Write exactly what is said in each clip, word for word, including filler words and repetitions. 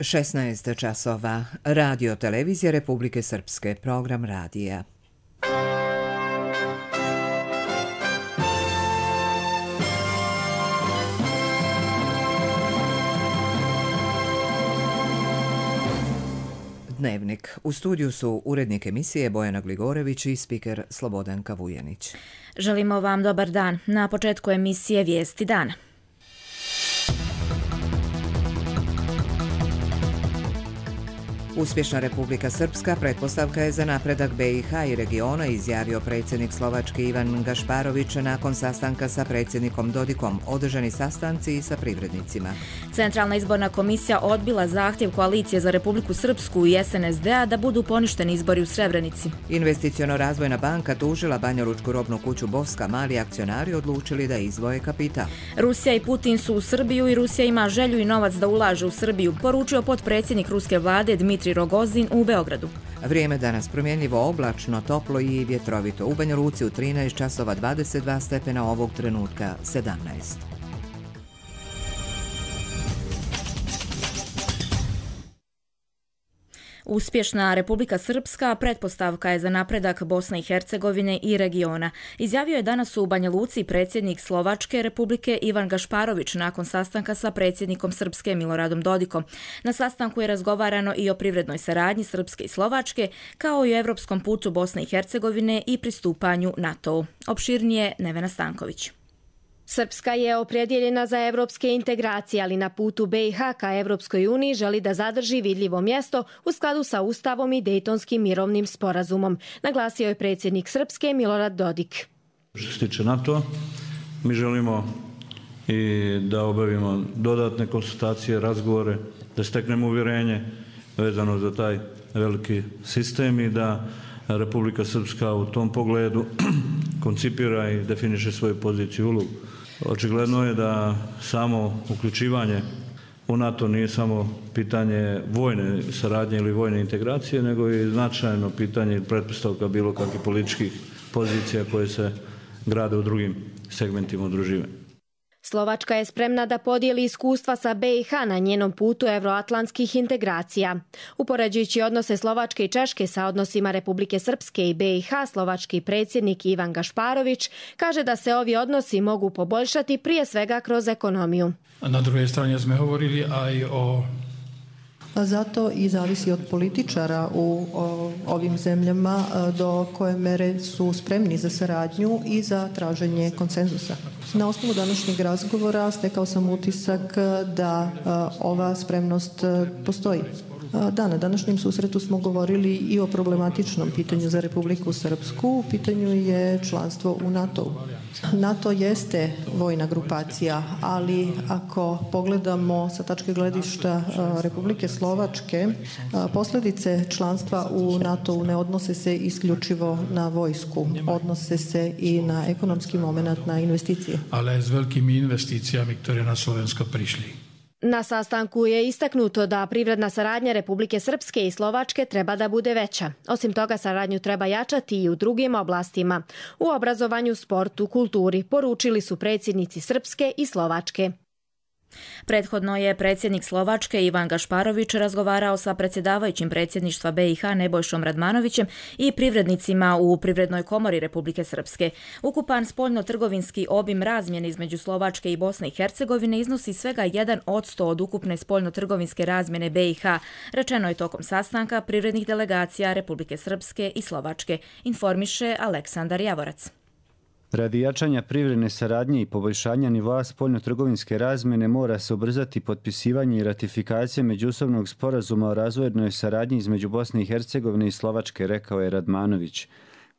šesnaest časova. Radio Televizija Republike Srpske. Program radija. Dnevnik. U studiju su urednik emisije Bojana Gligorević i spiker Slobodanka Vujanić. Želimo vam dobar dan. Na početku emisije Vijesti dana. Uspješna Republika Srpska pretpostavka je za napredak be i ha i regiona, izjavio predsjednik Slovačke Ivan Gašparović nakon sastanka sa predsjednikom Dodikom, održani sastanci i sa privrednicima. Centralna izborna komisija odbila zahtjev Koalicije za Republiku Srpsku i es en es de a da budu poništeni izbori u Srebrenici. Investiciono-razvojna banka tužila Banjalučku robnu kuću Bovska, mali akcionari odlučili da izdvoje kapital. Rusija i Putin su u Srbiju i Rusija ima želju i novac da ulaže u Srbiju, poručio potpredsjednik ruske vlade Dmitrij Rogozin u Beogradu. Vrijeme danas promjenljivo, oblačno, toplo i vjetrovito. U Banja Luci u trinaest časova dvadeset dva stepena, ovog trenutka sedamnaest. Uspješna Republika Srpska pretpostavka je za napredak Bosne i Hercegovine i regiona. Izjavio je danas u Banja Luci predsjednik Slovačke Republike Ivan Gašparović nakon sastanka sa predsjednikom Srpske Miloradom Dodikom. Na sastanku je razgovarano i o privrednoj saradnji Srpske i Slovačke, kao i o evropskom putu Bosne i Hercegovine i pristupanju NATO-u. Opširnije Nevena Stanković. Srpska je opredjeljena za evropske integracije, ali na putu be i ha ka Evropskoj uniji želi da zadrži vidljivo mjesto u skladu sa Ustavom i Dejtonskim mirovnim sporazumom, naglasio je predsjednik Srpske Milorad Dodik. Što se tiče NATO, mi želimo i da obavimo dodatne konsultacije, razgovore, da steknemo uvjerenje vezano za taj veliki sistem i da Republika Srpska u tom pogledu koncipira i definiše svoju poziciju i ulogu. Očigledno je da samo uključivanje u NATO nije samo pitanje vojne saradnje ili vojne integracije, nego i značajno pitanje i pretpostavka bilo kakvih političkih pozicija koje se grade u drugim segmentima udruživanja. Slovačka je spremna da podijeli iskustva sa be i ha na njenom putu evroatlantskih integracija. Upoređujući odnose Slovačke i Češke sa odnosima Republike Srpske i be i ha, slovački predsjednik Ivan Gašparović kaže da se ovi odnosi mogu poboljšati prije svega kroz ekonomiju. Na drugoj strani smo govorili aj o Zato i zavisi od političara u o, ovim zemljama do koje mere su spremni za saradnju i za traženje konsenzusa. Na osnovu današnjeg razgovora stekao sam utisak da a, ova spremnost a, postoji. A, da, na današnjem susretu smo govorili i o problematičnom pitanju za Republiku Srpsku. U pitanju je članstvo u NATO-u. NATO jeste vojna grupacija, ali ako pogledamo sa tačke gledišta Republike Slovačke, posljedice članstva u NATO-u ne odnose se isključivo na vojsku, odnose se i na ekonomski moment, na investicije. Ale s velikim investicijama koje na Slovensko prišli. Na sastanku je istaknuto da privredna saradnja Republike Srpske i Slovačke treba da bude veća. Osim toga, saradnju treba jačati i u drugim oblastima. U obrazovanju, sportu, kulturi, poručili su predsjednici Srpske i Slovačke. Prethodno je predsjednik Slovačke Ivan Gašparović razgovarao sa predsjedavajućim predsjedništva be i ha Nebojšom Radmanovićem i privrednicima u Privrednoj komori Republike Srpske. Ukupan spoljno-trgovinski obim razmjene između Slovačke i Bosne i Hercegovine iznosi svega jedan posto od ukupne spoljno-trgovinske razmjene be i ha, rečeno je tokom sastanka privrednih delegacija Republike Srpske i Slovačke, informiše Aleksandar Javorac. Radi jačanja privredne saradnje i poboljšanja nivoa spoljno-trgovinske razmjene mora se ubrzati potpisivanje i ratifikacija međusobnog sporazuma o razvojnoj saradnji između Bosne i Hercegovine i Slovačke, rekao je Radmanović.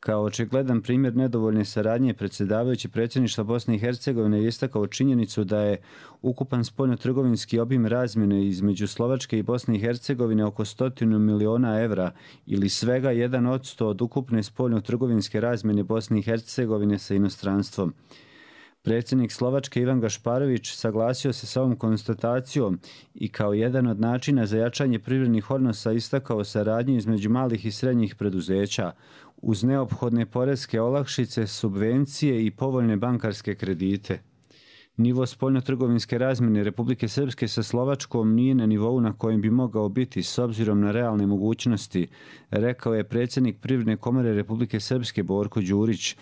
Kao očigledan primjer nedovoljne saradnje, predsjedavajući predsjedništva Bosne i Hercegovine je istakao činjenicu da je ukupan spoljno-trgovinski obim razmjene između Slovačke i Bosne i Hercegovine oko stotinu miliona evra ili svega jedan odsto od ukupne spoljno-trgovinske razmjene Bosne i Hercegovine sa inostranstvom. Predsjednik Slovačke Ivan Gašparović saglasio se sa ovom konstatacijom i kao jedan od načina za jačanje privrednih odnosa istakao saradnju između malih i srednjih preduzeća uz neophodne poreske olakšice, subvencije i povoljne bankarske kredite. Nivo spoljnotrgovinske razmjene Republike Srpske sa Slovačkom nije na nivou na kojem bi mogao biti s obzirom na realne mogućnosti, rekao je predsjednik Privredne komore Republike Srpske Borko Đurić.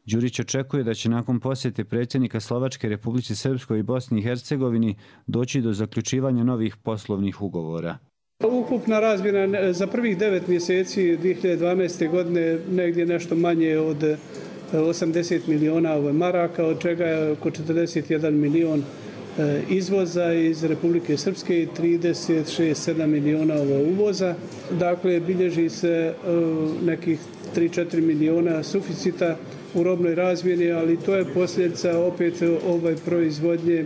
Đurić očekuje da će nakon posjete predsjednika Slovačke Republici Srpskoj i Bosni i Hercegovini doći do zaključivanja novih poslovnih ugovora. Ukupna razmjena za prvih devet mjeseci dvije hiljade dvanaeste. godine negdje nešto manje od osamdeset miliona maraka, od čega je oko četrdeset jedan milion izvoza iz Republike Srpske i trideset šest sedam miliona uvoza. Dakle, bilježi se nekih tri četiri miliona suficita u robnoj razmjeni, ali to je posljedica opet ovaj proizvodnje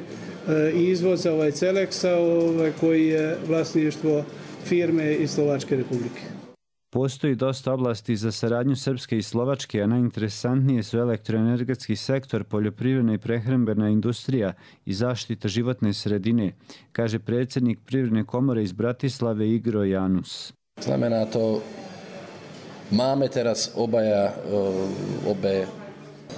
i izvoza ovaj Celeksa ovaj, koji je vlasništvo firme iz Slovačke Republike. Postoji dosta oblasti za saradnju Srpske i Slovačke, a najinteresantnije su elektroenergetski sektor, poljoprivredna i prehrambena industrija i zaštita životne sredine, kaže predsjednik Privredne komore iz Bratislave Igro Janus. Znamená to, máme teraz obaja obe.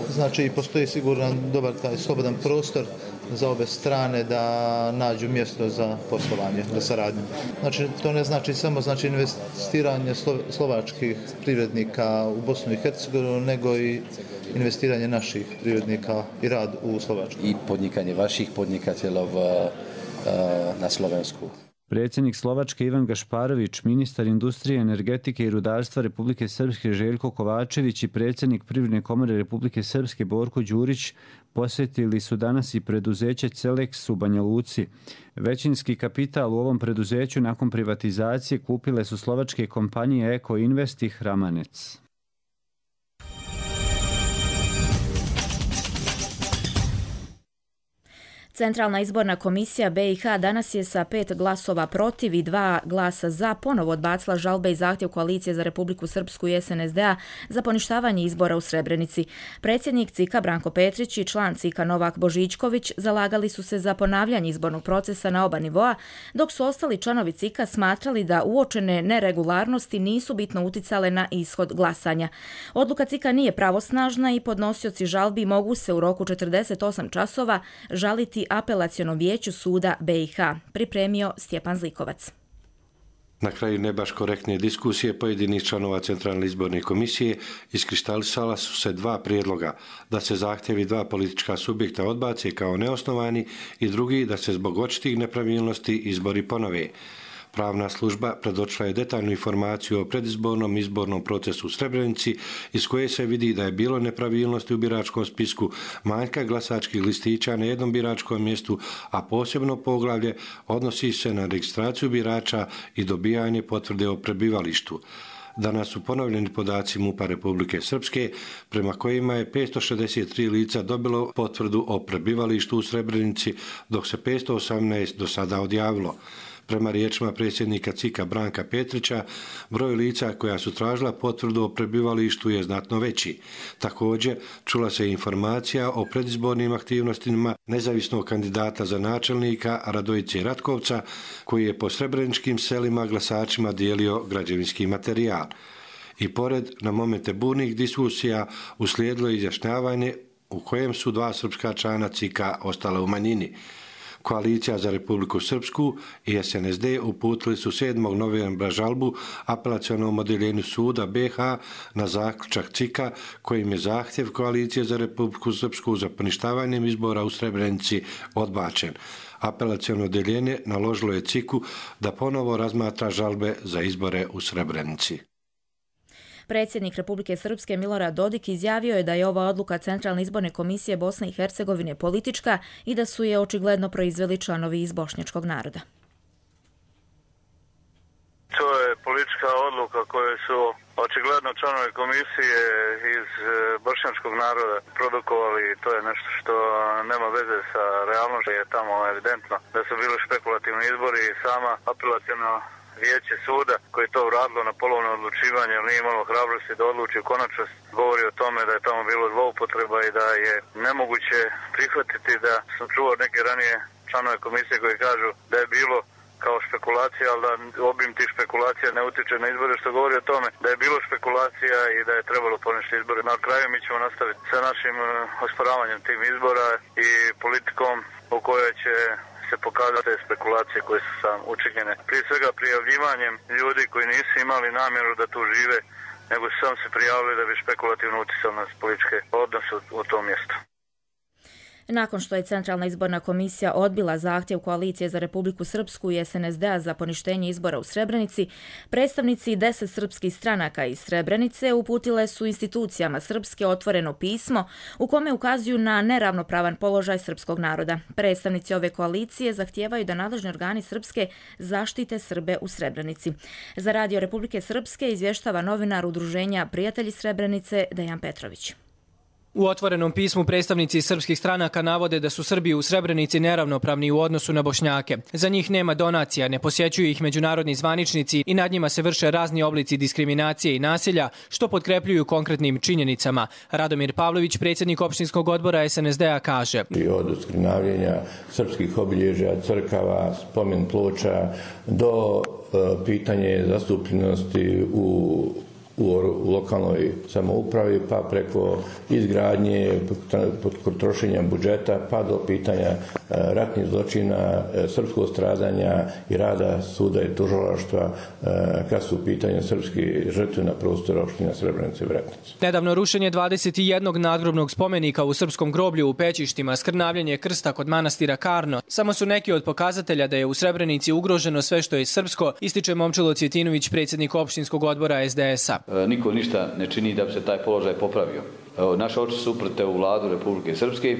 Znači, postoji siguran dobar taj slobodan prostor za obe strane da nađu mjesto za poslovanje, za saradnju. Znači, to ne znači samo znači investiranje slovačkih privrednika u Bosnu i Hercegovinu, nego i investiranje naših privrednika i rad u Slovačku. I podnikanje vaših podnikatelja na Slovensku. Predsjednik Slovačke Ivan Gašparović, ministar industrije, energetike i rudarstva Republike Srpske Željko Kovačević i predsjednik Privredne komore Republike Srpske Borko Đurić posjetili su danas i preduzeće Celeks u Banja Luci. Većinski kapital u ovom preduzeću nakon privatizacije kupile su slovačke kompanije Eko Invest i Hramanec. Centralna izborna komisija B i H danas je sa pet glasova protiv i dva glasa za ponovo odbacila žalbe i zahtjev Koalicije za Republiku Srpsku i S N S D-a za poništavanje izbora u Srebrenici. Predsjednik C I K-a Branko Petrić i član C I K-a Novak Božičković zalagali su se za ponavljanje izbornog procesa na oba nivoa, dok su ostali članovi C I K-a smatrali da uočene neregularnosti nisu bitno uticale na ishod glasanja. Odluka C I K-a nije pravosnažna i podnosioci žalbi mogu se u roku četrdeset osam časova žaliti apelacionom vijeću suda B i H, pripremio Stjepan Zlikovac. Na kraju ne baš korektne diskusije pojedinih članova Centralne izborne komisije iskristalisala su se dva prijedloga, da se zahtjevi dva politička subjekta odbace kao neosnovani i drugi da se zbog očitih nepravilnosti izbori ponove. Pravna služba predočila je detaljnu informaciju o predizbornom izbornom procesu u Srebrenici, iz koje se vidi da je bilo nepravilnosti u biračkom spisku, manjka glasačkih listića na jednom biračkom mjestu, a posebno poglavlje odnosi se na registraciju birača i dobijanje potvrde o prebivalištu. Danas su ponovljeni podaci MUP-a Republike Srpske, prema kojima je petsto šezdeset tri lica dobilo potvrdu o prebivalištu u Srebrenici, dok se petsto osamnaest do sada odjavilo. Prema riječima predsjednika C I K-a Branka Petrića, broj lica koja su tražila potvrdu o prebivalištu je znatno veći. Također, čula se informacija o predizbornim aktivnostima nezavisnog kandidata za načelnika Radojice Ratkovca, koji je po srebreničkim selima glasačima dijelio građevinski materijal. I pored na momente burnih diskusija uslijedilo izjašnjavanje u kojem su dva srpska člana C I K-a ostala u manjini. Koalicija za Republiku Srpsku i S N S D uputili su sedmog novembra žalbu apelacionom odjeljenju suda B H na zaključak C I K-a kojim je zahtjev Koalicije za Republiku Srpsku za poništavanjem izbora u Srebrenici odbačen. Apelaciono odjeljenje naložilo je C I K-u da ponovo razmatra žalbe za izbore u Srebrenici. Predsjednik Republike Srpske Milorad Dodik izjavio je da je ova odluka Centralne izborne komisije Bosne i Hercegovine politička i da su je očigledno proizveli članovi iz bošnjačkog naroda. To je politička odluka koju su očigledno članovi komisije iz bošnjačkog naroda produkovali i to je nešto što nema veze sa realnošću. Je tamo evidentno da su bili špekulativni izbori i sama apelacijna vijeće suda koji je to uradilo na polovno odlučivanje, ali nije imalo hrabrosti da odluči u konačnost, govori o tome da je tamo bilo zloupotreba i da je nemoguće prihvatiti da sam čuo neke ranije članove komisije koji kažu da je bilo kao špekulacija, ali da obim tih špekulacija ne utiče na izbore, što govori o tome da je bilo špekulacija i da je trebalo poništiti izbore. Na kraju mi ćemo nastaviti sa našim osporavanjem tim izbora i politikom u kojoj će se pokazati te spekulacije koje su sam učinjene. Prije svega prijavljivanjem ljudi koji nisu imali namjeru da tu žive, nego su sam se prijavili da bi špekulativno utjecali na političke odnose u tom mjestu. Nakon što je Centralna izborna komisija odbila zahtjev Koalicije za Republiku Srpsku i S N S D-a za poništenje izbora u Srebrenici, predstavnici deset srpskih stranaka iz Srebrenice uputile su institucijama Srpske otvoreno pismo u kome ukazuju na neravnopravan položaj srpskog naroda. Predstavnici ove koalicije zahtijevaju da nadležni organi Srpske zaštite Srbe u Srebrenici. Za Radio Republike Srpske izvještava novinar Udruženja Prijatelji Srebrenice Dejan Petrović. U otvorenom pismu predstavnici srpskih stranaka navode da su Srbi u Srebrenici neravnopravni u odnosu na Bošnjake. Za njih nema donacija, ne posjećuju ih međunarodni zvaničnici i nad njima se vrše razni oblici diskriminacije i nasilja, što potkrepljuju konkretnim činjenicama. Radomir Pavlović, predsjednik opštinskog odbora S N S D-a, kaže: Od skrnavljenja srpskih obilježja, crkava, spomen ploča do e, pitanje zastupljenosti u u lokalnoj samoupravi, pa preko izgradnje, trošenja budžeta, pa do pitanja ratnih zločina, srpskog stradanja i rada suda i tužilaštva kad su u pitanju srpski žrtve na prostoru opština Srebrenice i Vretnice. Nedavno rušenje dvadeset jednog nadgrobnog spomenika u srpskom groblju u Pećištima, skrnavljanje krsta kod manastira Karno, samo su neki od pokazatelja da je u Srebrenici ugroženo sve što je srpsko, ističe Momčilo Cvjetinović, predsjednik opštinskog odbora S D S-a. Niko ništa ne čini da bi se taj položaj popravio. Naše oči su uprte u vladu Republike Srpske,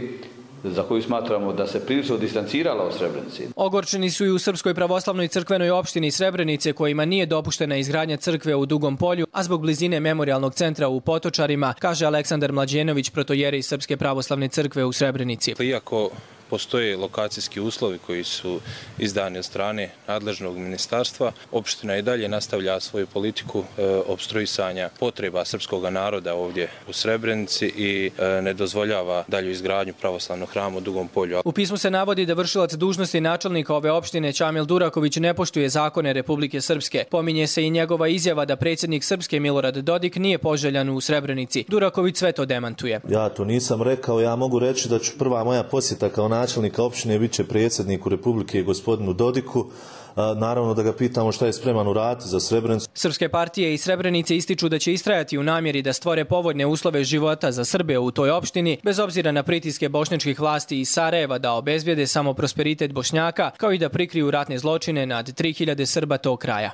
za koju smatramo da se prilično distancirala od Srebrenici. Ogorčeni su i u Srpskoj pravoslavnoj crkvenoj opštini Srebrenice, kojima nije dopuštena izgradnja crkve u Dugom polju, a zbog blizine memorijalnog centra u Potočarima, kaže Aleksandar Mlađenović, protojerej Srpske pravoslavne crkve u Srebrenici. Iako postoje lokacijski uslovi koji su izdani od strane nadležnog ministarstva, opština i dalje nastavlja svoju politiku e, opstruisanja potreba srpskog naroda ovdje u Srebrenici i e, ne dozvoljava dalju izgradnju pravoslavnog hrama u Dugom polju. U pismu se navodi da vršilac dužnosti načelnika ove opštine Čamil Duraković ne poštuje zakone Republike Srpske. Pominje se i njegova izjava da predsjednik Srpske Milorad Dodik nije poželjan u Srebrenici. Duraković sve to demantuje. Ja to nisam rekao, ja mogu reći da ću prva moja posjeta kao načelnika opštine bit će predsjedniku Republike gospodinu Dodiku. Naravno da ga pitamo šta je spreman uraditi za Srebrenicu. Srpske partije i Srebrenice ističu da će istrajati u namjeri da stvore povoljne uslove života za Srbe u toj opštini, bez obzira na pritiske bošnjačkih vlasti iz Sarajeva da obezbijede samo prosperitet Bošnjaka, kao i da prikriju ratne zločine nad tri hiljade Srba tog kraja.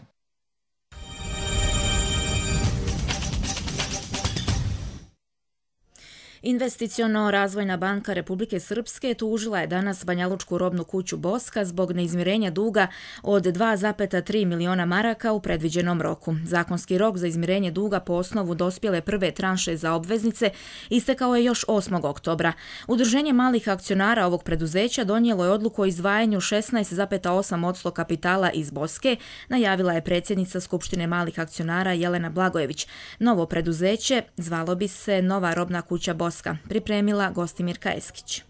Investiciono-razvojna banka Republike Srpske tužila je danas Banjalučku robnu kuću Boska zbog neizmirenja duga od dva zarez tri miliona maraka u predviđenom roku. Zakonski rok za izmirenje duga po osnovu dospjele prve tranše za obveznice istekao je još osmog oktobra. Udruženje malih akcionara ovog preduzeća donijelo je odluku o izdvajanju šesnaest zarez osam posto kapitala iz Boske, najavila je predsjednica Skupštine malih akcionara Jelena Blagojević. Novo preduzeće zvalo bi se Nova robna kuća Boska. Pripremila Gostimirka Eskić.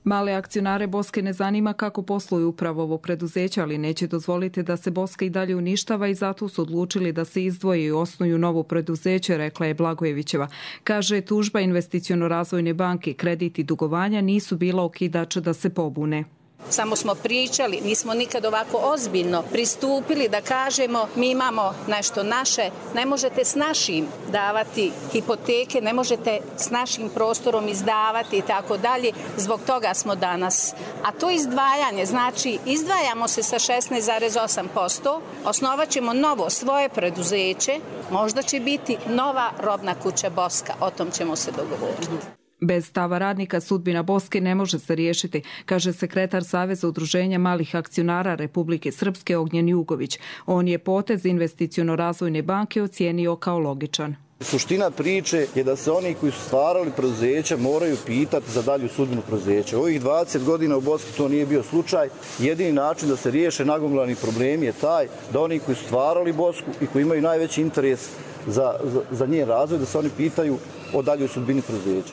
Male akcionare Boske ne zanima kako posluju upravo ovo preduzeće, ali neće dozvoliti da se Boska i dalje uništava i zato su odlučili da se izdvoje i osnuju novo preduzeće, rekla je Blagojevićeva. Kaže, tužba Investiciono-razvojne banke, kredit i dugovanja nisu bila okidač da se pobune. Samo smo pričali, nismo nikad ovako ozbiljno pristupili da kažemo mi imamo nešto naše, ne možete s našim davati hipoteke, ne možete s našim prostorom izdavati i tako dalje. Zbog toga smo danas. A to izdvajanje, znači izdvajamo se sa šesnaest zarez osam posto, osnovat ćemo novo svoje preduzeće, možda će biti nova robna kuća Boska, o tom ćemo se dogovoriti. Bez stava radnika sudbina Boske ne može se riješiti, kaže sekretar Saveza udruženja malih akcionara Republike Srpske Ognjen Jugović. On je potez Investiciono-razvojne banke ocijenio kao logičan. Suština priče je da se oni koji su stvarali preduzeća moraju pitati za dalju sudbinu preduzeća. Ovih dvadeset godina u Boski to nije bio slučaj. Jedini način da se riješe nagomilani problemi je taj da oni koji su stvarali Bosku i koji imaju najveći interes za, za, za njen razvoj, da se oni pitaju o daljoj sudbini preduzeća.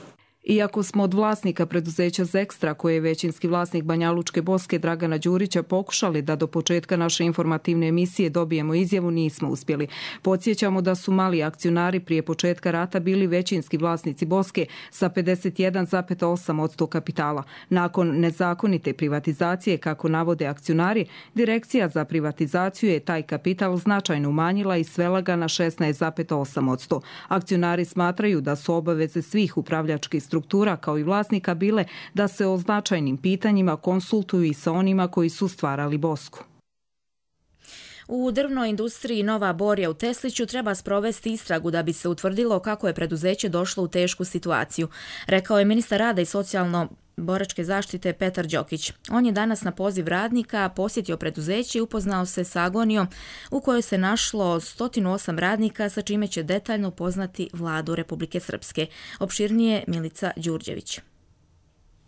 Iako smo od vlasnika preduzeća Zekstra, koje je većinski vlasnik Banjalučke Boske Dragana Đurića, pokušali da do početka naše informativne emisije dobijemo izjavu, nismo uspjeli. Podsjećamo da su mali akcionari prije početka rata bili većinski vlasnici Boske sa pedeset jedan zarez osam posto kapitala. Nakon nezakonite privatizacije, kako navode akcionari, Direkcija za privatizaciju je taj kapital značajno umanjila i svela ga na šesnaest zarez osam posto. Akcionari smatraju da su obaveze svih upravljačkih struktura kao i vlasnika bile da se o značajnim pitanjima konsultuju i sa onima koji su stvarali Bosku. U drvnoj industriji Nova Borja u Tesliću treba sprovesti istragu da bi se utvrdilo kako je preduzeće došlo u tešku situaciju, rekao je ministar rada i socijalno boračke zaštite Petar Đokić. On je danas na poziv radnika posjetio preduzeće i upoznao se sa agonijom u kojoj se našlo sto osam radnika, sa čime će detaljno upoznati vladu Republike Srpske. Opširnije Milica Đurđević.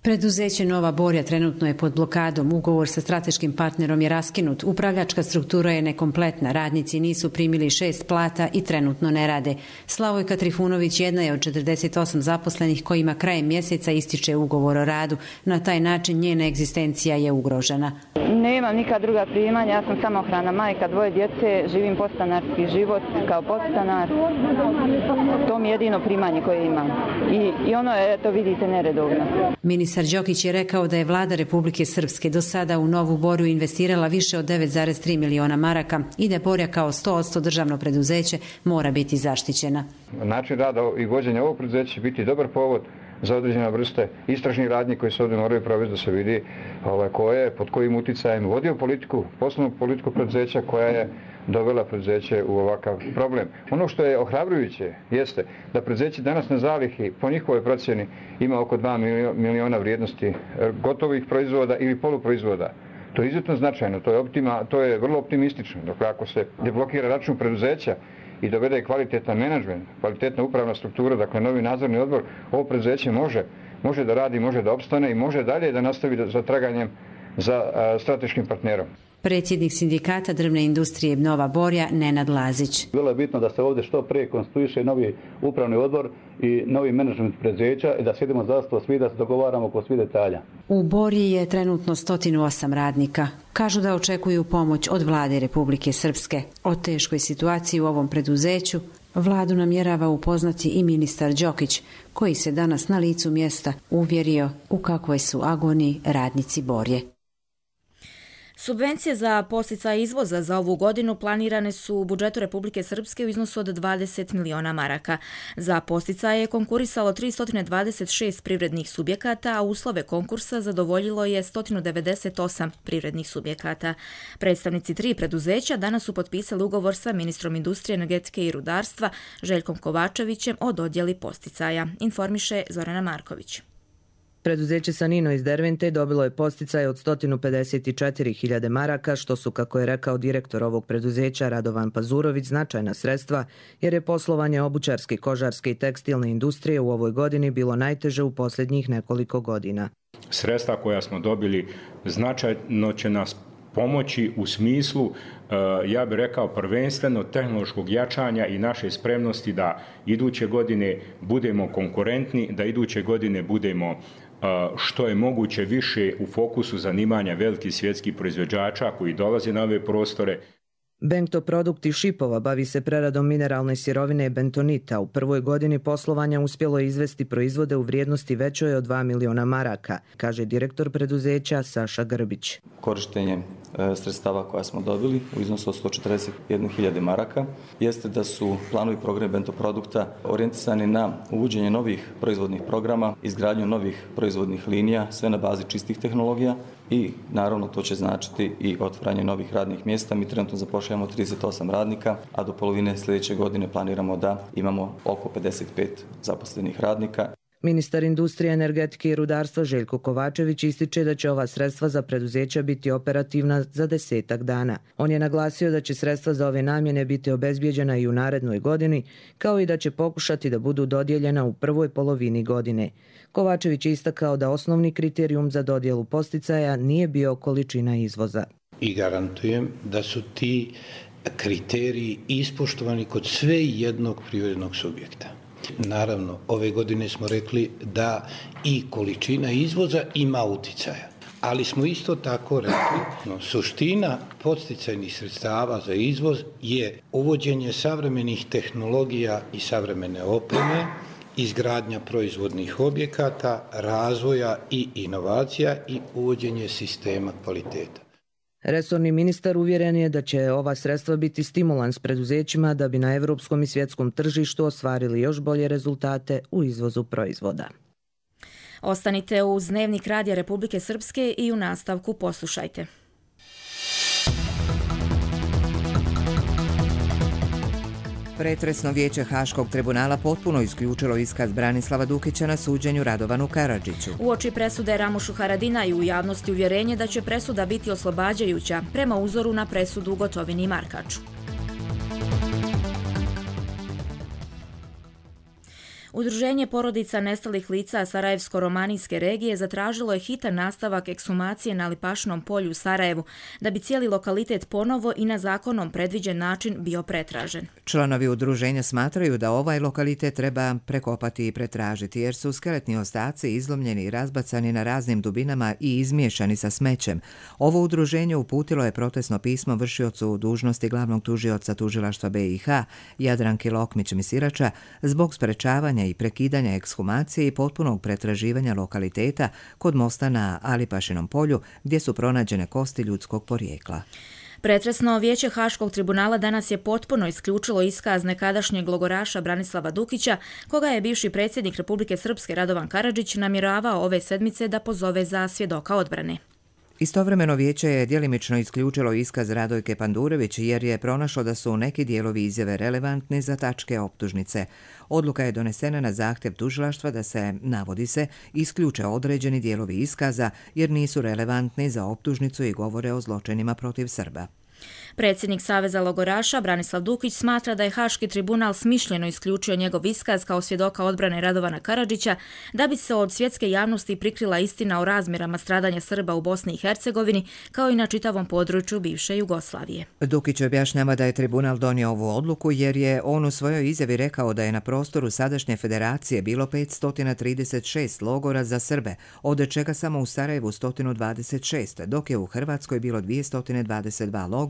Preduzeće Nova Borja trenutno je pod blokadom, ugovor sa strateškim partnerom je raskinut, upravljačka struktura je nekompletna, radnici nisu primili šest plata i trenutno ne rade. Slavojka Trifunović jedna je od četrdeset osam zaposlenih kojima krajem mjeseca ističe ugovor o radu. Na taj način njena egzistencija je ugrožena. Nemam nikad druga primanja, ja sam samohrana majka, dvoje djece, živim podstanarski život kao podstanar. To mi je jedino primanje koje imam. I, i ono je, to vidite, neredovno. Ministar Đokić je rekao da je vlada Republike Srpske do sada u Novu Borju investirala više od devet zarez tri miliona maraka i da Borja kao sto posto državno preduzeće mora biti zaštićena. Način rada i vođenja ovog preduzeća će biti dobar povod za određene vrste istražnih radnji koji se ovdje moraju provesti da se vidi ovaj, ko je, pod kojim uticajem vodio politiku, poslovnu politiku preduzeća koja je dovela preduzeće u ovakav problem. Ono što je ohrabrujuće jeste da preduzeće danas na zalihi po njihovoj procjeni ima oko dva miliona vrijednosti gotovih proizvoda ili poluproizvoda. To je izuzetno značajno, to je, optima, to je vrlo optimistično. Dakle, ako se deblokira račun preduzeća i dovede kvalitetan menadžment, kvalitetna upravna struktura, dakle novi nadzorni odbor, ovo preduzeće može, može da radi, može da opstane i može dalje da nastavi za traganjem za a, strateškim partnerom. Predsjednik sindikata drvne industrije Nova Borja, Nenad Lazić. Bilo je bitno da se ovdje što prije konstituiše novi upravni odbor i novi menadžment preduzeća i da sjedimo za sto svi da se dogovaramo oko svih detalja. U Borji je trenutno sto osam radnika. Kažu da očekuju pomoć od vlade Republike Srpske. O teškoj situaciji u ovom preduzeću vladu namjerava upoznati i ministar Đokić, koji se danas na licu mjesta uvjerio u kakvoj su agoniji radnici Borje. Subvencije za podsticaj izvoza za ovu godinu planirane su u budžetu Republike Srpske u iznosu od dvadeset miliona maraka. Za podsticaje je konkurisalo tristo dvadeset šest privrednih subjekata, a uslove konkursa zadovoljilo je sto devedeset osam privrednih subjekata. Predstavnici tri preduzeća danas su potpisali ugovor sa ministrom industrije, energetike i rudarstva Željkom Kovačevićem o dodjeli podsticaja, informiše Zorana Marković. Preduzeće Sanino iz Dervente dobilo je podsticaj od sto pedeset četiri hiljade maraka, što su, kako je rekao direktor ovog preduzeća Radovan Pazurović, značajna sredstva, jer je poslovanje obućarske, kožarske i tekstilne industrije u ovoj godini bilo najteže u posljednjih nekoliko godina. Sredstva koja smo dobili značajno će nas pomoći u smislu, ja bih rekao, prvenstveno tehnološkog jačanja i naše spremnosti da iduće godine budemo konkurentni, da iduće godine budemo što je moguće više u fokusu zanimanja velikih svjetskih proizvođača koji dolaze na ove prostore. Bento Produkt iz Šipova bavi se preradom mineralne sirovine bentonita. U prvoj godini poslovanja uspjelo je izvesti proizvode u vrijednosti većoj od dva miliona maraka, kaže direktor preduzeća Saša Grbić. Korištenje sredstava koja smo dobili u iznosu od sto četrdeset jedne hiljade maraka jeste da su planovi programi Bento Produkta orijentisani na uvođenje novih proizvodnih programa, izgradnju novih proizvodnih linija, sve na bazi čistih tehnologija i naravno to će značiti i otvaranje novih radnih mjesta. Mi trenutno zapošljavamo trideset osam radnika, a do polovine sljedeće godine planiramo da imamo oko pedeset pet zaposlenih radnika. Ministar industrije, energetike i rudarstva Željko Kovačević ističe da će ova sredstva za preduzeća biti operativna za desetak dana. On je naglasio da će sredstva za ove namjene biti obezbijeđena i u narednoj godini, kao i da će pokušati da budu dodijeljena u prvoj polovini godine. Kovačević je istakao da osnovni kriterijum za dodjelu podsticaja nije bio količina izvoza. I garantujem da su ti kriteriji ispoštovani kod sve jednog privrednog subjekta. izvoziti. Naravno, ove godine smo rekli da i količina izvoza ima uticaja. Ali smo isto tako rekli, no, suština podsticajnih sredstava za izvoz je uvođenje savremenih tehnologija i savremene opreme, izgradnja proizvodnih objekata, razvoja i inovacija i uvođenje sistema kvaliteta. Resorni ministar uvjeren je da će ova sredstva biti stimulans preduzećima da bi na evropskom i svjetskom tržištu ostvarili još bolje rezultate u izvozu proizvoda. Ostanite uz Dnevnik Radija Republike Srpske i u nastavku poslušajte. Pretresno vijeće Haškog tribunala potpuno isključilo iskaz Branislava Dukića na suđenju Radovanu Karadžiću. Uoči presude Ramušu Haradinaju u javnosti uvjerenje da će presuda biti oslobađajuća prema uzoru na presudu Gotovini i Markaču. Udruženje porodica nestalih lica Sarajevsko-romanijske regije zatražilo je hitan nastavak ekshumacije na Lipašnom polju u Sarajevu, da bi cijeli lokalitet ponovo i na zakonom predviđen način bio pretražen. Članovi udruženja smatraju da ovaj lokalitet treba prekopati i pretražiti, jer su skeletni ostaci izlomljeni i razbacani na raznim dubinama i izmiješani sa smećem. Ovo udruženje uputilo je protestno pismo vršiocu dužnosti glavnog tužioca tužilaštva B i H Jadranki Lokmić-Misirača zbog sprečavanja i prekidanja ekshumacije i potpunog pretraživanja lokaliteta kod mosta na Alipašinom polju gdje su pronađene kosti ljudskog porijekla. Pretresno vijeće Haškog tribunala danas je potpuno isključilo iskaz nekadašnjeg logoraša Branislava Dukića, koga je bivši predsjednik Republike Srpske Radovan Karadžić namjeravao ove sedmice da pozove za svjedoka odbrane. Istovremeno vijeće je djelimično isključilo iskaz Radojke Pandurević jer je pronašlo da su neki dijelovi izjave relevantni za tačke optužnice. Odluka je donesena na zahtjev tužilaštva da se, navodi se, isključe određeni dijelovi iskaza jer nisu relevantni za optužnicu i govore o zločinima protiv Srba. Predsjednik Saveza logoraša Branislav Dukić smatra da je Haški tribunal smišljeno isključio njegov iskaz kao svjedoka odbrane Radovana Karadžića da bi se od svjetske javnosti prikrila istina o razmjerama stradanja Srba u Bosni i Hercegovini kao i na čitavom području bivše Jugoslavije. Dukić objašnjava da je tribunal donio ovu odluku jer je on u svojoj izjavi rekao da je na prostoru sadašnje federacije bilo petsto trideset šest logora za Srbe, od čega samo u Sarajevu sto dvadeset šest, dok je u Hrvatskoj bilo dvjesto dvadeset dva logora,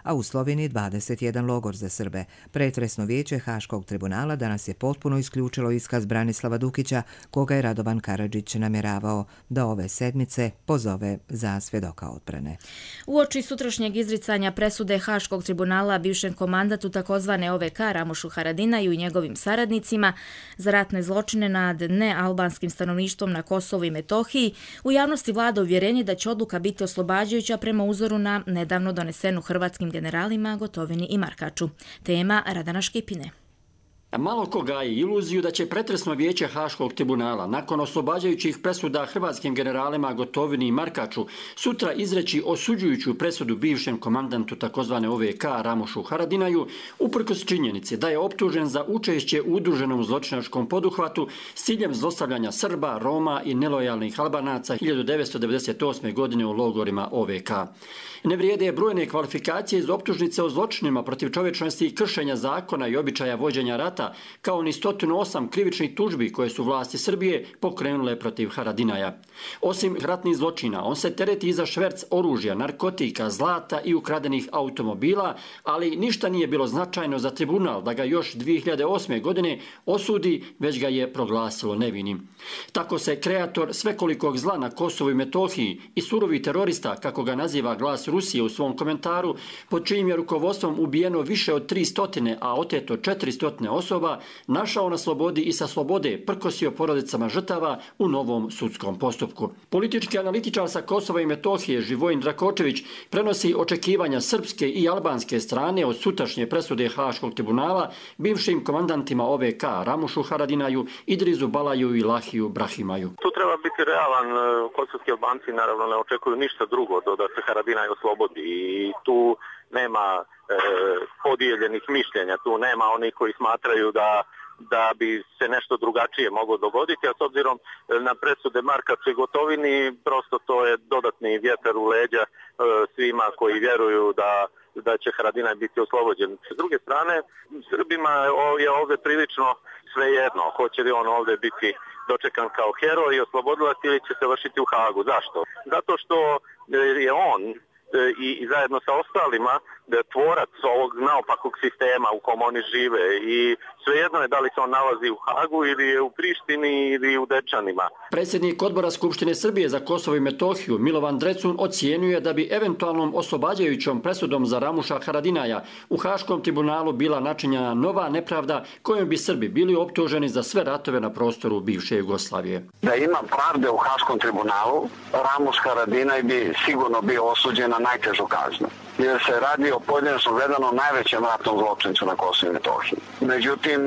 a u Sloveniji dvadeset jedan logor za Srbe. Pretresno vijeće Haškog tribunala danas je potpuno isključilo iskaz Branislava Dukića, koga je Radovan Karadžić namjeravao da ove sedmice pozove za svjedoka odbrane. Uoči sutrašnjeg izricanja presude Haškog tribunala bivšem komandatu takozvane O V K Ramušu Haradinaju i njegovim saradnicima za ratne zločine nad nealbanskim stanovništvom na Kosovu i Metohiji, u javnosti vlada uvjerenje da će odluka biti oslobađajuća prema uzoru na nedavno donesenu hrvatskim generalima Gotovini i Markaču. Tema Radana Škipine. Malo ko gaji iluziju da će pretresno vijeće Haškog tribunala nakon oslobađajućih presuda hrvatskim generalima Gotovini i Markaču sutra izreći osuđujuću presudu bivšem komandantu takozvane O V K Ramušu Haradinaju uprkos činjenice da je optužen za učešće u udruženom zločinačkom poduhvatu s ciljem zlostavljanja Srba, Roma i nelojalnih Albanaca hiljadu devetsto devedeset osme. godine u logorima O V K. Ne vrijede brojne kvalifikacije iz optužnice o zločinima protiv čovječnosti i kršenja zakona i običaja vođenja rata, kao ni sto osam krivičnih tužbi koje su vlasti Srbije pokrenule protiv Haradinaja. Osim ratnih zločina, on se tereti i za šverc oružja, narkotika, zlata i ukradenih automobila, ali ništa nije bilo značajno za tribunal da ga još dvije hiljade osme. godine osudi, već ga je proglasilo nevinim. Tako se kreator svekolikog zla na Kosovu i Metohiji i surovi terorista, kako ga naziva Glas Rusije u svom komentaru, pod čijim je rukovodstvom ubijeno više od tri stotine, a oteto četiri stotine osoba, našao na slobodi i sa slobode prkosio porodicama žrtava u novom sudskom postupku. Politički analitičar sa Kosova i Metohije Živojin Drakočević prenosi očekivanja srpske i albanske strane od sutrašnje presude Haškog tribunala bivšim komandantima O V K Ramušu Haradinaju, Idrizu Balaju i Lahiju Brahimaju. Tu treba biti realan. Kosovski Albanci naravno ne očekuju ništa drugo do da se Haradinaj oslobodi i tu nema e, podijeljenih mišljenja, tu nema onih koji smatraju da da bi se nešto drugačije moglo dogoditi, a s obzirom na presude Markaču i Gotovini, prosto to je dodatni vjetar u leđa e, svima koji vjeruju da da će Haradinaj biti oslobođen. S druge strane, Srbima je ovdje prilično svejedno, hoće li on ovdje biti dočekan kao heroj i oslobodilac ili će se vršiti u Hagu. Zašto? Zato što je on i, i zajedno sa ostalima tvorac ovog naopakog sistema u kom oni žive i svejedno je da li se on nalazi u Hagu ili je u Prištini ili u Dečanima. Predsjednik Odbora Skupštine Srbije za Kosovo i Metohiju Milovan Drecun ocijenjuje da bi eventualnom oslobađajućom presudom za Ramuša Haradinaja u Haškom tribunalu bila načinjena nova nepravda kojom bi Srbi bili optuženi za sve ratove na prostoru bivše Jugoslavije. Da ima pravde u Haškom tribunalu, Ramuš Haradinaj bi sigurno bio osuđen na najtežu kaznu, jer se radi o pojedinačno gledano najvećem ratnom zločincu na Kosovu i Metohiji. Međutim,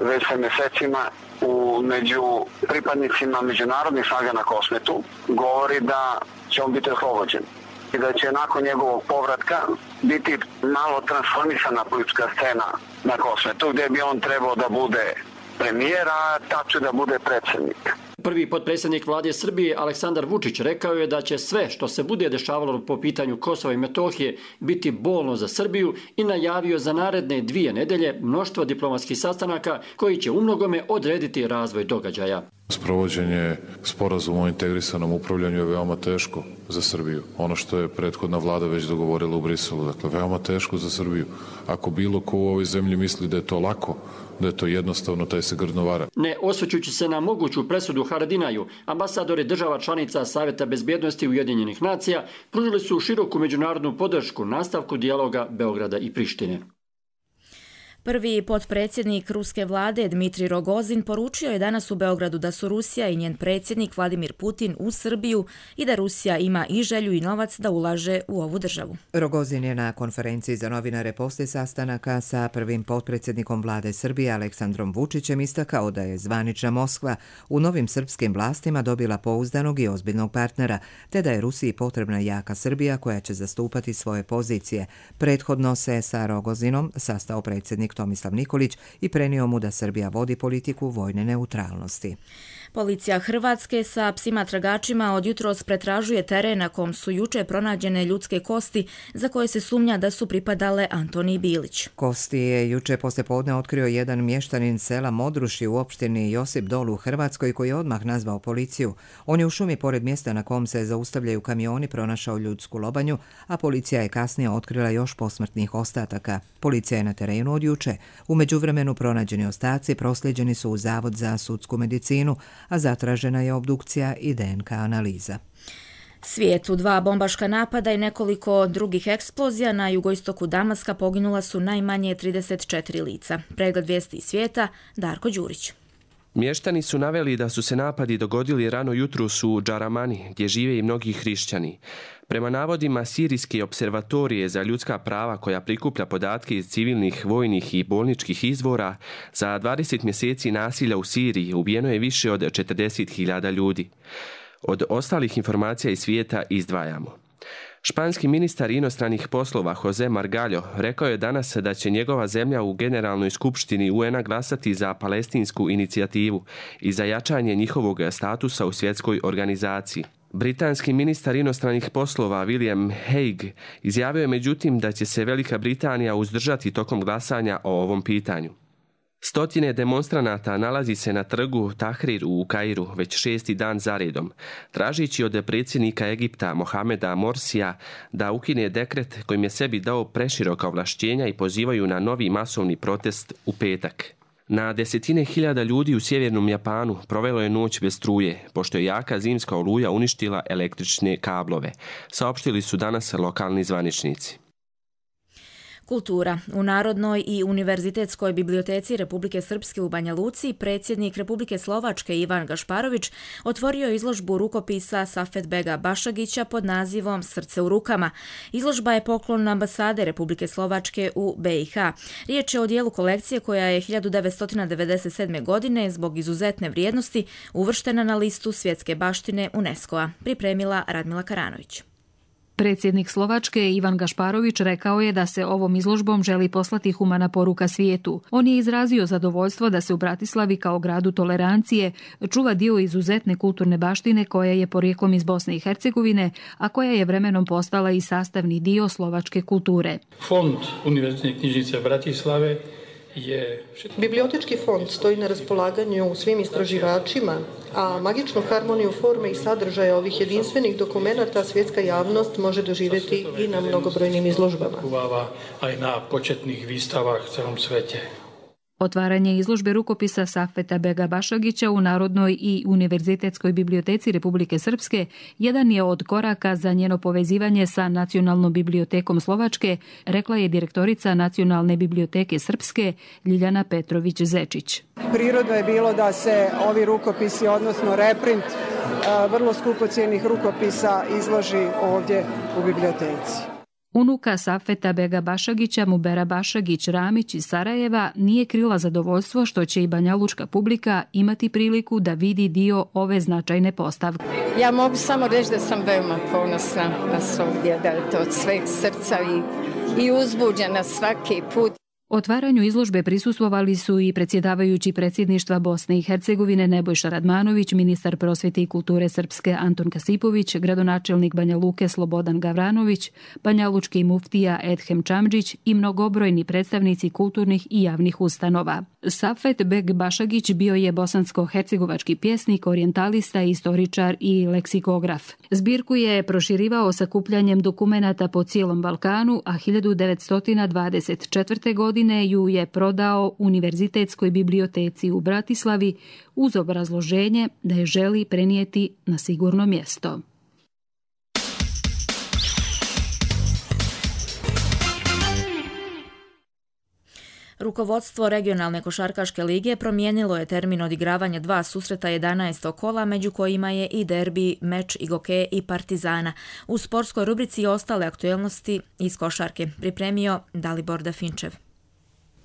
već se mjesecima u među pripadnicima međunarodnih snaga na Kosmetu govori da će on biti oslobođen i da će nakon njegovog povratka biti malo transformisana politička scena na Kosmetu, gdje bi on trebao da bude premijer, a tačno da bude predsjednik. Prvi potpredsjednik vlade Srbije Aleksandar Vučić rekao je da će sve što se bude dešavalo po pitanju Kosova i Metohije biti bolno za Srbiju i najavio za naredne dvije nedelje mnoštvo diplomatskih sastanaka koji će umnogome odrediti razvoj događaja. Sprovođenje sporazuma o integrisanom upravljanju je veoma teško za Srbiju. Ono što je prethodna vlada već dogovorila u Briselu, dakle veoma teško za Srbiju. Ako bilo ko u ovoj zemlji misli da je to lako, da je to jednostavno, taj se grdno vara. Ne osvrćući se na moguću presudu Haradinaju, ambasadori država članica Saveta bezbjednosti Ujedinjenih nacija pružili su široku međunarodnu podršku nastavku dijaloga Beograda i Prištine. Prvi potpredsjednik ruske vlade Dmitrij Rogozin poručio je danas u Beogradu da su Rusija i njen predsjednik Vladimir Putin u Srbiju i da Rusija ima i želju i novac da ulaže u ovu državu. Rogozin je na konferenciji za novinare poslije sastanaka sa prvim potpredsjednikom vlade Srbije Aleksandrom Vučićem istakao da je zvanična Moskva u novim srpskim vlastima dobila pouzdanog i ozbiljnog partnera, te da je Rusiji potrebna jaka Srbija koja će zastupati svoje pozicije. Prethodno se sa Rogozinom sastao predsjednik Tomislav Nikolić i prenio mu da Srbija vodi politiku vojne neutralnosti. Policija Hrvatske sa psima tragačima od jutros pretražuje teren na kom su juče pronađene ljudske kosti za koje se sumnja da su pripadale Antoniji Bilić. Kosti je juče poslijepodne otkrio jedan mještanin sela Modruši u opštini Josip Dol u Hrvatskoj koji je odmah nazvao policiju. On je u šumi pored mjesta na kom se zaustavljaju kamioni pronašao ljudsku lobanju, a policija je kasnije otkrila još posmrtnih ostataka. Policija je na terenu od juče. U međuvremenu pronađeni ostaci proslijeđeni su u Zavod za sudsku medicinu, a zatražena je obdukcija i D N K analiza. Svijetu dva bombaška napada i nekoliko drugih eksplozija na jugoistoku Damaska poginula su najmanje trideset četiri lica. Pregled vijesti iz svijeta, Darko Đurić. Mještani su naveli da su se napadi dogodili rano jutros u Džaramani, gdje žive i mnogi hrišćani. Prema navodima Sirijske observatorije za ljudska prava koja prikuplja podatke iz civilnih, vojnih i bolničkih izvora, za dvadeset mjeseci nasilja u Siriji ubijeno je više od četrdeset hiljada ljudi. Od ostalih informacija iz svijeta izdvajamo. Španski ministar inostranih poslova Jose Margallo rekao je danas da će njegova zemlja u Generalnoj skupštini U N A glasati za palestinsku inicijativu i za jačanje njihovog statusa u svjetskoj organizaciji. Britanski ministar inostranih poslova William Hague izjavio je međutim da će se Velika Britanija uzdržati tokom glasanja o ovom pitanju. Stotine demonstranata nalazi se na trgu Tahrir u Kairu već šesti dan zaredom, tražići od predsjednika Egipta Mohameda Morsija da ukine dekret kojim je sebi dao preširoka ovlašćenja i pozivaju na novi masovni protest u petak. Na desetine hiljada ljudi u sjevernom Japanu provelo je noć bez struje, pošto je jaka zimska oluja uništila električne kablove, saopštili su danas lokalni zvaničnici. Kultura. U Narodnoj i Univerzitetskoj biblioteci Republike Srpske u Banja Luci predsjednik Republike Slovačke Ivan Gašparović otvorio izložbu rukopisa Safetbega Bašagića pod nazivom Srce u rukama. Izložba je poklon ambasade Republike Slovačke u B i H. Riječ je o dijelu kolekcije koja je hiljadu devetsto devedeset sedme. godine zbog izuzetne vrijednosti uvrštena na listu svjetske baštine UNESCO-a. Pripremila Radmila Karanović. Predsjednik Slovačke Ivan Gašparović rekao je da se ovom izložbom želi poslati humana poruka svijetu. On je izrazio zadovoljstvo da se u Bratislavi kao gradu tolerancije čuva dio izuzetne kulturne baštine koja je porijeklom iz Bosne i Hercegovine, a koja je vremenom postala i sastavni dio slovačke kulture. Fond Univerzitetne knjižnice Bratislave je... Bibliotečki fond stoji na raspolaganju svim istraživačima, a magičnu harmoniju forme i sadržaja ovih jedinstvenih dokumenata svjetska javnost može doživjeti i na mnogobrojnim izložbama. A i na početnih výstavách v celom svete. Otvaranje izložbe rukopisa Safeta Bega Bašagića u Narodnoj i Univerzitetskoj biblioteci Republike Srpske jedan je od koraka za njeno povezivanje sa Nacionalnom bibliotekom Slovačke, rekla je direktorica Nacionalne biblioteke Srpske Ljiljana Petrović-Zečić. Prirodno je bilo da se ovi rukopisi, odnosno reprint vrlo skupocijenih rukopisa izloži ovdje u biblioteci. Unuka Safeta Bega Bašagića, Mubera Bašagić Ramić iz Sarajeva, nije krila zadovoljstvo što će i banjalučka publika imati priliku da vidi dio ove značajne postavke. Ja mogu samo reći da sam veoma ponosna na svogdje, da je to od sveg srca i, i uzbuđena svaki put. Otvaranju izložbe prisustvovali su i predsjedavajući predsjedništva Bosne i Hercegovine Nebojša Radmanović, ministar prosvjete i kulture Srpske Anton Kasipović, gradonačelnik Banja Luke Slobodan Gavranović, banjalučki muftija Edhem Čamđić i mnogobrojni predstavnici kulturnih i javnih ustanova. Safet Beg Bašagić bio je bosansko-hercegovački pjesnik, orijentalista, istoričar i leksikograf. Zbirku je proširivao sakupljanjem dokumenata po cijelom Balkanu, a hiljadu devetsto dvadeset četvrte. godine ju je prodao Univerzitetskoj biblioteci u Bratislavi uz obrazloženje da je želi prenijeti na sigurno mjesto. Rukovodstvo regionalne košarkaške lige promijenilo je termin odigravanja dva susreta jedanaestog kola, među kojima je i derbi, meč Igoke i Partizana. U sportskoj rubrici ostale aktuelnosti iz košarke pripremio Dalibor Dafinčev.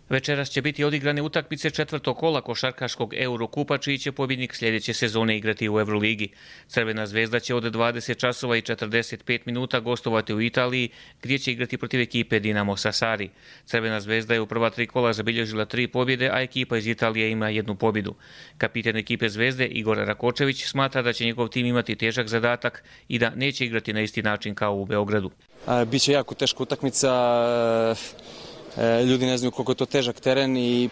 Večeras će biti odigrane utakmice četvrtog kola košarkaškog Eurokupa, čiji će pobjednik sljedeće sezone igrati u Euroligi. Crvena zvezda će od dvadeset časova i četrdeset pet minuta gostovati u Italiji, gdje će igrati protiv ekipe Dinamo Sassari. Crvena zvezda je u prva tri kola zabilježila tri pobjede, a ekipa iz Italije ima jednu pobjedu. Kapiten ekipe Zvezde Igor Rakočević smatra da će njegov tim imati težak zadatak i da neće igrati na isti način kao u Beogradu. Biće jako teška utakmica. Ljudi ne znaju koliko je to težak teren i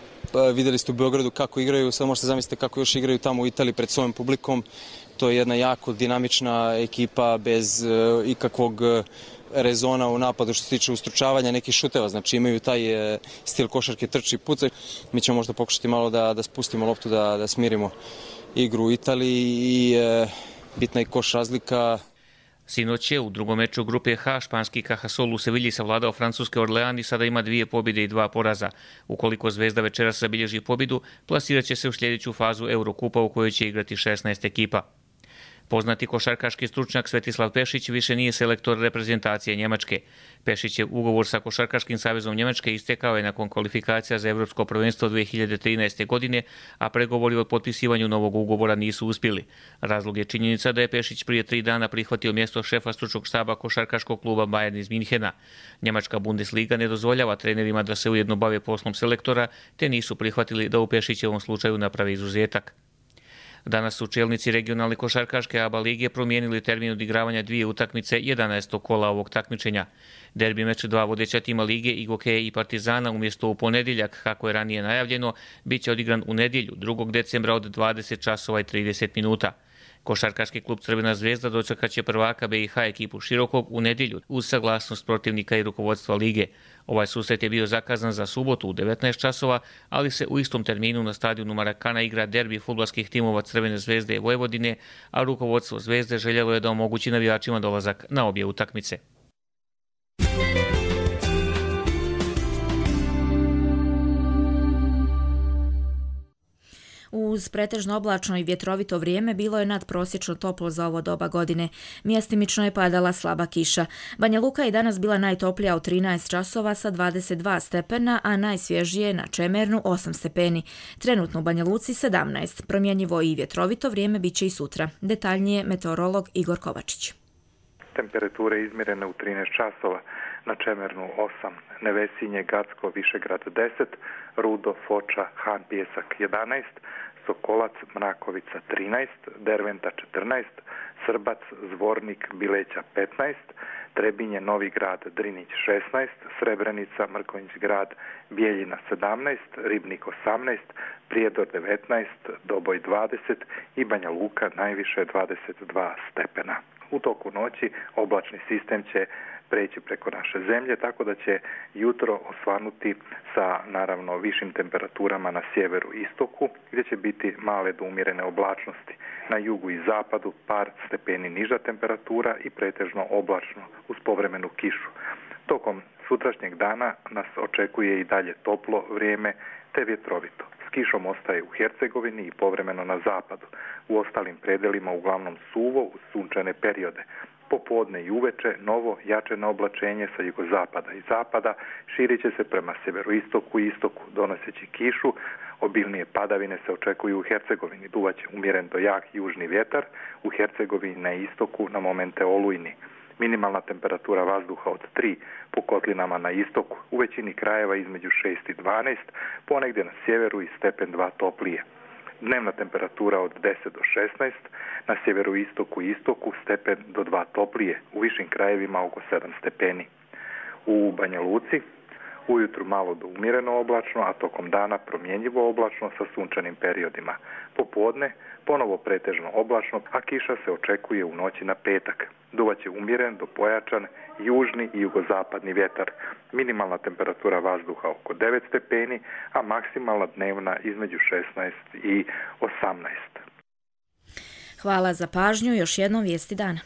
vidjeli ste u Beogradu kako igraju, sad možete zamisliti kako još igraju tamo u Italiji pred svojim publikom. To je jedna jako dinamična ekipa bez ikakvog rezona u napadu što se tiče ustručavanja nekih šuteva, znači imaju taj stil košarke trči i pucaj. Mi ćemo možda pokušati malo da, da spustimo loptu, da, da smirimo igru u Italiji i e, bitna je koš razlika. Sinoć je u drugom meču grupe H španski Cajasol u Sevilji savladao francuske Orlean i sada ima dvije pobjede i dva poraza. Ukoliko Zvezda večeras zabilježi pobjedu, plasirat će se u sljedeću fazu Eurokupa u kojoj će igrati šesnaest ekipa. Poznati košarkaški stručnjak Svetislav Pešić više nije selektor reprezentacije Njemačke. Pešić je ugovor sa Košarkaškim savezom Njemačke istekao je nakon kvalifikacija za Evropsko prvenstvo dvije hiljade trinaeste. godine, a pregovori o potpisivanju novog ugovora nisu uspjeli. Razlog je činjenica da je Pešić prije tri dana prihvatio mjesto šefa stručnog štaba košarkaškog kluba Bayern iz Minhena. Njemačka Bundesliga ne dozvoljava trenerima da se ujedno bave poslom selektora, te nisu prihvatili da u Pešićevom slučaju napravi izuzetak. Danas su čelnici regionalne košarkaške A B A lige promijenili termin odigravanja dvije utakmice jedanaestog kola ovog takmičenja. Derbi meč dva vodeća tima lige Igoke i Partizana umjesto u ponedjeljak, kako je ranije najavljeno, bit će odigran u nedjelju drugog decembra od dvadeset časova i trideset minuta. Košarkaški klub Crvena zvezda dočekat će prvaka B i H ekipu Širokog u nedjelju uz saglasnost protivnika i rukovodstva lige. Ovaj susret je bio zakazan za subotu u devetnaest časova, ali se u istom terminu na stadionu Marakana igra derbi fudbalskih timova Crvene zvezde i Vojvodine, a rukovodstvo Zvezde željelo je da omogući navijačima dolazak na obje utakmice. Uz pretežno oblačno i vjetrovito vrijeme bilo je nadprosječno toplo za ovo doba godine. Mjestimično je padala slaba kiša. Banja Luka je danas bila najtoplija u trinaest časova sa dvadeset dva stepena, a najsvježije na Čemernu osam stepeni. Trenutno u Banja Luci sedamnaest. Promjenjivo i vjetrovito vrijeme bit će i sutra. Detaljnije meteorolog Igor Kovačić. Temperature izmjerene u trinaest časova. Na Čemernu osam, Nevesinje, Gacko, Višegrad deset, Rudo, Foča, Han, Pjesak jedanaest, Sokolac, Mrakovica trinaest, Derventa četrnaest, Srbac, Zvornik, Bileća petnaest, Trebinje, Novi Grad, Drinić šesnaest, Srebrenica, Mrkonjić Grad, Bijeljina sedamnaest, Ribnik osamnaest, Prijedor devetnaest, Doboj dvadeset i Banja Luka najviše dvadeset dva stepena. U toku noći oblačni sistem će preći preko naše zemlje, tako da će jutro osvanuti sa naravno višim temperaturama na sjeveru i istoku, gdje će biti male do umjerene oblačnosti. Na jugu i zapadu par stepeni niža temperatura i pretežno oblačno uz povremenu kišu. Tokom sutrašnjeg dana nas očekuje i dalje toplo vrijeme te vjetrovito. S kišom ostaje u Hercegovini i povremeno na zapadu. U ostalim predelima uglavnom suvo uz sunčane periode. Popodne i uveče novo jačeno oblačenje sa jugozapada i zapada širit će se prema sjeveroistoku i istoku, donoseći kišu. Obilnije padavine se očekuju u Hercegovini, duvaće umjeren do jak južni vjetar, u Hercegovini na istoku na momente olujni. Minimalna temperatura vazduha od tri po kotlinama na istoku, u većini krajeva između šest i dvanaest, ponegdje na sjeveru i stepen dva toplije. Dnevna temperatura od deset do šesnaest, na sjeveru istoku i istoku stepen do dva toplije, u višim krajevima oko sedam stepeni. U Banja Luci ujutru malo do umjereno oblačno, a tokom dana promjenjivo oblačno sa sunčanim periodima. Popodne ponovo pretežno oblačno, a kiša se očekuje u noći na petak. Duvaće umjeren do pojačan južni i jugozapadni vjetar. Minimalna temperatura vazduha oko devet stepeni, a maksimalna dnevna između šesnaest i osamnaest. Hvala za pažnju. Još jednom vijesti dana.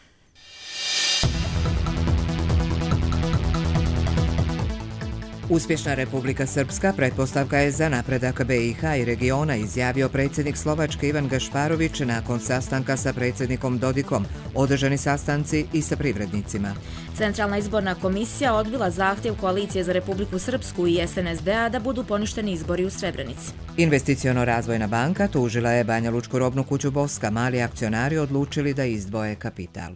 Uspješna Republika Srpska pretpostavka je za napredak B i H i regiona, izjavio predsjednik Slovačke Ivan Gašparović nakon sastanka sa predsjednikom Dodikom, održani sastanci i sa privrednicima. Centralna izborna komisija odbila zahtjev Koalicije za Republiku Srpsku i S N S D-a da budu poništeni izbori u Srebrenici. Investiciono-razvojna banka tužila je Banja Lučku robnu kuću Boska. Mali akcionari odlučili da izdvoje kapital.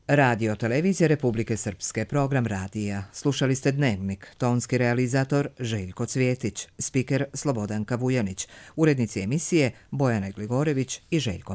Radio televizija Republike Srpske, program radija. Slušali ste Dnevnik, tonski realizator Željko Cvjetić, spiker Slobodanka Vujanić, urednici emisije Bojana Gligorević i Željko